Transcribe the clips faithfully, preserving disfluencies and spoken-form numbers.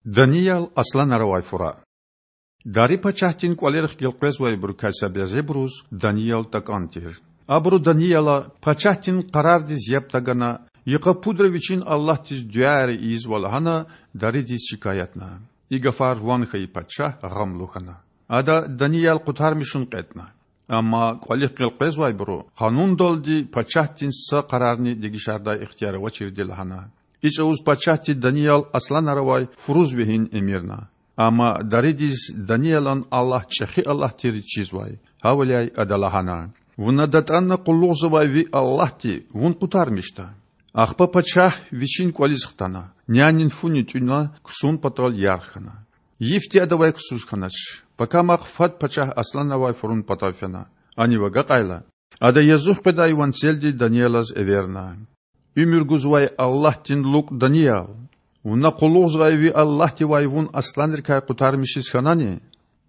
Даниял асланар авай фура. Дари пачагьдин кІвалерихъ гелкъвезвайбурукай са бязибуруз Даниял такІан тир. Абуру Данияла пачагьдин къарардиз яб тагана, йикъа пудра вичин Аллагьдиз дуьаяр ийизва лагьана, даридиз шикаятна. И гафар ван хьайи пачагь гъамлу хьана. Ада Даниял къутармишун кьетІна. Амма кІвалихъ гелкъвезвайбуру къанундалди пачагьдин са къарарни дегишардай ихтияр авачирди лагьана. И чІавуз пачагьди Даниял асланар авай фуруз вегьин эмирна. Амма даридиз Даниялан Аллагь чІехи Аллагь тирди чизвай. Гьавиляй ада лагьана: Вуна датІана къуллугъзавай ви Аллагьди вун къутармишда. Ахпа пачагь вичин кІвализ хтана, нянин фуни тІуьна, ксун патал ярх хьана. Йифди адавай ксуз хьанач, пакамахъ фад пачагь асланар авай фурун патав фена. Анив агакьайла, ада язух къведай ванцелди Даниялаз эверна: Уьмуьр гузвай Аллагьдин лукІ Даниял! Вуна къуллугъзавай ви Аллагьдивай вун асланрикай къутармишиз хьанани?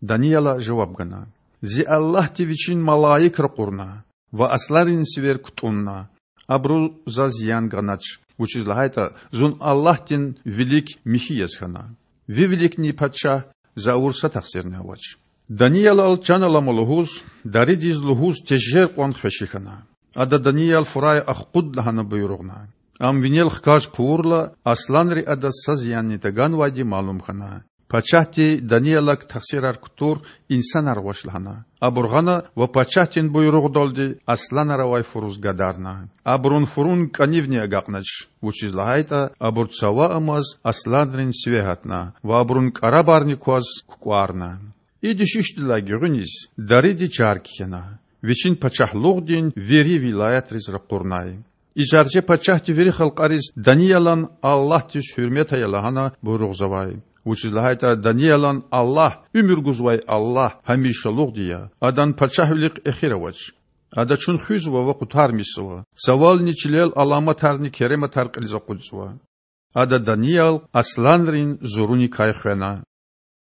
Данияла жаваб гана: Зи Аллагьди Вичин малаик ракъурна ва асланрин сивер кутІунна. Абуру заз зиян ганач, вучиз лагьайтІа зун Аллагьдин вилик михьи яз хьана. Ви виликни, пачагь, за авур са тахсирни авач. Даниялал чан алама лугьуз, даридиз лугьуз тежер кьван хвеши хьана. Ада Даниял фурай ахкъуд лагьана буйругъна. Ам винел хкаж хъувурла, асланри адаз са зиянни таганвайди малум хьана. Пачагьди Даниялак тахсирар кутур инсанар гъваш лагьана. Абур гъана ва пачагьдин буйругъдалди асланар авай фуруз гадарна. Абурун фурун кІанивни агакьнач, вучиз лагьайтІа абур цава амаз асланрин сиве гьатна ва абурун кІарабарни кваз кукІварна. И дуьшуьшдилай гуьгъуьниз дариди чар кхьена, вичин пачагьлугъдин вири вилаятриз ракъурнай. И чарче пачагьди вири халкьариз Даниялан Аллагьдиз гьуьрмет ая лагьана буйругъзавай, вучиз лагьайтІа Даниялан Аллагь, уьмуьр гузвай Аллагь, гьамишалугъди я, Адан пачагьвилихъ эхир авач. Ада чун хуьзва ва къутармишзава, цавални чилел аламатарни керематар кьилиз акъудзава. Ада Даниял асланрин зуруникай хвена.